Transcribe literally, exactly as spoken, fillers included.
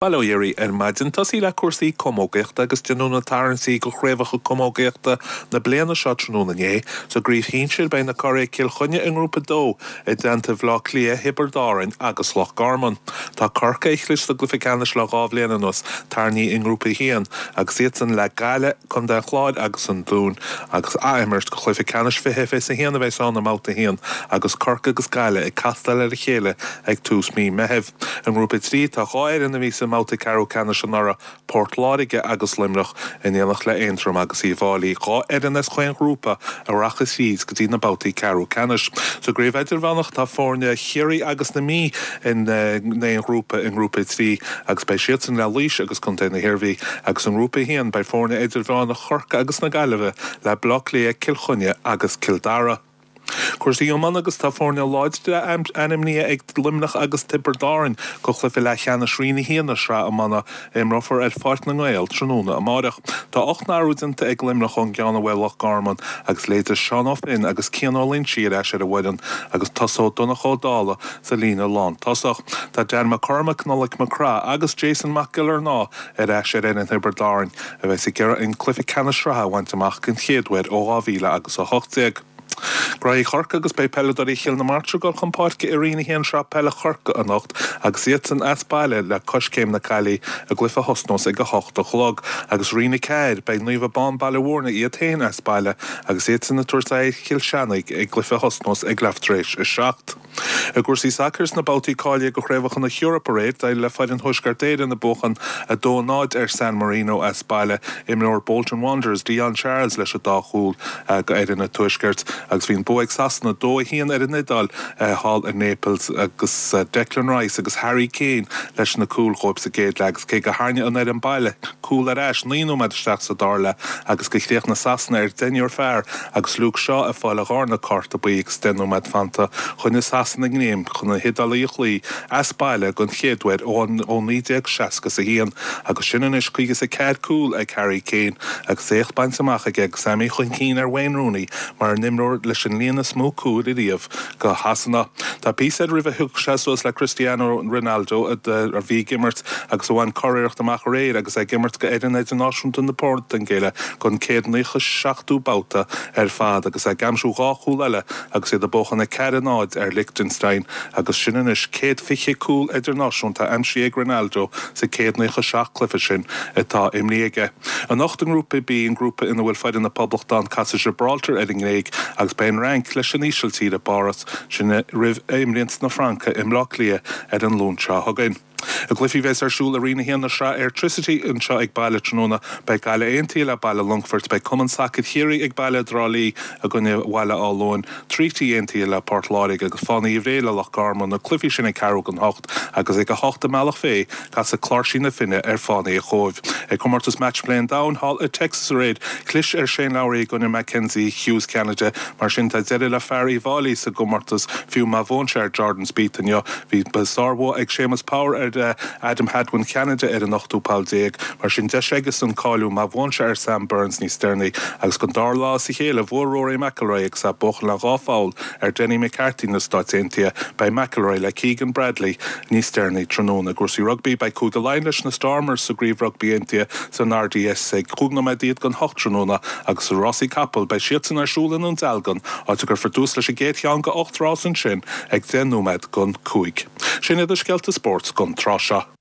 Bail ó Dhia oraibh ar maidin. Tosaí le cúrsaí camógaíochta agus déanadh na tarraingtí do chraobhacha camógaíochta na bliana seo tráthnóna inné. Sa gcraobh shinsir beidh na curaidh Cill Chainnigh i ngrúpa dó i dteannta Bhaile Átha Cliath, Thiobraid Árann agus Loch Garman. Tá Corcaigh a chlis sa gcluiche ceannais le dhá bhliain anuas tarraingthe i ngrúpa a haon agus iadsan le Gaillimh, Contae an Chláir agus an Dún agus athimirt do chluiche ceannais fiche fiche a haon a bheas ann i mbabhta a haon agus Corcaigh agus Gaillimh ag castáil ar a chéile ag tús mí Meithimh. I ngrúpa trí tá dhá fhoireann a bhí sa mbabhta ceathrú ceannais anuraidh Port Láirge agus Luimneach in éineacht le Aontroim agus Uíbh Fhailí, dhá fhoireann as chaon ghrúpa a rachaidh síos go dtí na babhtaí ceathrú ceannais. Sa gcraobh idirmheánach tá foirne Chiarraí agus na Mí in aon ghrúpa i ngrúpa trí agus beidh siadsan le Laois agus Contae na hIarmhí agus i ngrúpa a haon beidh foirne idirmheánach Chorcaí agus na Gaillimhe le Baile Átha Cliath, Cill Chainnigh agus Cill Dara. Cúrsaí iomána agus tá foirne láidre ainmnithe ag Luimneach agus Tiobraid Árann do chluiche leathcheannais Roinn a haon na sraithe iomána a imreofar ar Pháirc na nGael tráthnóna amárach. Tá ocht n-athrú déanta ag Luimneach ón gceann a bhuaigh Loch Garman agus leithéidí Seán Ó Finn agus Cian Ó Loinsigh ar ais ar an bhfoireann agus tosóidh Donncha Ó Dálaigh sa líne lántosach. Tá Dan McCormack, Nollaig McCraith agus Jason Mac Giollarnáth ar ais ar fhoireann Thiobraid Árann a bheas ag iarraidh an cluiche ceannais sraithe a bhaint amach den chéad uair ó dhá mhíle agus a hocht déag. Graí Chorcaí agus beidh peileadóirí Chill na Martra ag dul chun páirce i Roinn a haon Sraith Peile Chorcaí anocht agus iadsan as baile le Coiscéim na Caillí i gcluiche a thosnós ag a hocht a chlog agus Roinn a ceathair beidh Naomh Abán Baile Mhúirne iad féin as baile agus iadsan ag tabhairt aghaidh ar Chill Chainnigh i gcluiche a thosnós ag leath tar éis a seacht. I gcúrsaí sacair sna babhtaí cáilithe do chraobhacha na hEorpa aréir, d'éirigh le foireann Thuaisceart Éireann ag buachan a dó a náid ar San Marino as baile. Imreoir Bolton Wanderers, Dion Charles leis an dá chúl do fhoireann an Tuaiscirt agus bhí an bua ag Sasana dó a haon ar an Iodáil thall i Naples agus Declan Rice agus Harry Kane leis na cúil dhóibh sa gcéad leath agus cé go ndearna an fhoireann baile cúl ar ais naoi nóiméad isteach sa dara leath agus gur chríochnaigh Sasana ar deichniúr fear agus Luke Shaw ag fáil a dharna cárta buí agus deich nóiméad fanta choinnigh Sasana greim chun na hIodálaigh a chloí as baile den chéad uair ó naoi déag seasca is a haon agus sin anois caoga is a ceathair cúl ag Harry Kane agus éacht bainte amach aige agus é imithe chun cinn ar Wayne Rooney mar an imreoir leis an líon is mó cúil ariamh do Shasana. Tá píosa air roimh a thiocfadh sé suas le Cristiano Ronaldo a bhí ag imirt agus a bhain curiarracht amach aréir agus é ag imirt do fhoireann idirnáisiúnta na Portaingéile don céad naocha seachtú babhta ar fad agus é ag aimsiú dhá chúl eile agus iad ag buachan a ceathair a náid ar Liechtenstein agus sin anois céad fiche cúl idirnáisiúnta aimsithe ag Ronaldo sa céad naocha seacht cluiche sin atá imrithe aige. Anocht i ngrúpa B an grúpa ina bhfuil foireann na Poblachta casfaidh Gibraltar ar an nGréig agus beidh an Fhrainc leis an Ísiltír i bPáras sin roimh imreoidh na Francaigh i mBleá Cliath ar an Luan seo chugainn. I gcluichí a bheas ar siúl i Roinn a haon na Sraithe Airtricity anseo ag baile tráthnóna beidh Gaillimh Aontaithe le Baile Longfoirt, beidh Cumann Sacair Chiarraí ag baile i dTrá Lí i gcoinne Bhaile Átha Luain, Treaty Aontaithe le Port Láirge agus Fánaí Bhré le Loch Garman, na cluichí sin ag ceathrú don hocht agus ag a hocht i mBealach Féich casfaidh Cláirsí na Finne ar Fánaí an Chóibh. Ag comórtas Match Play an Domhain thall i Texas aréir, chlis ar Shane Lowry i gcoinne Mackenzie Hughes Ceanada, mar sin tá deireadh le fear Uíbh Fhailí sa gcomórtas fiú má bhuann sé ar Jordan Spieth inniu. Bhí sárbhua ag Séamus Power ar Adam Hadwin Ceanada ar an ochtú poll déag, mar sin deis aigesan cáiliú má bhuann sé ar Sam Burns níos deireanaí agus don dara lá as a chéile bhuaigh Rory McIlroy agus é ag buachan le dhá pholl ar Denny McCarthy na Stáit Aontaithe. Beidh McIlroy le Keegan Bradley níos deireanaí tráthnóna. I gcúrsaí rugbaí beidh Cúige Laighean leis na Stormers sa gcraobh rugbaí aontaithe san R D S ag cúig nóiméad don hocht tráthnóna agus sa rásaí capall beidh siadsan ar siúl i nDún Dealgan áit a gcuirfear tús leis an gcéad cheann de ocht rás ansin ag deich nóiméad don cúig. Sin iad na scéalta spóirt don tráth seo.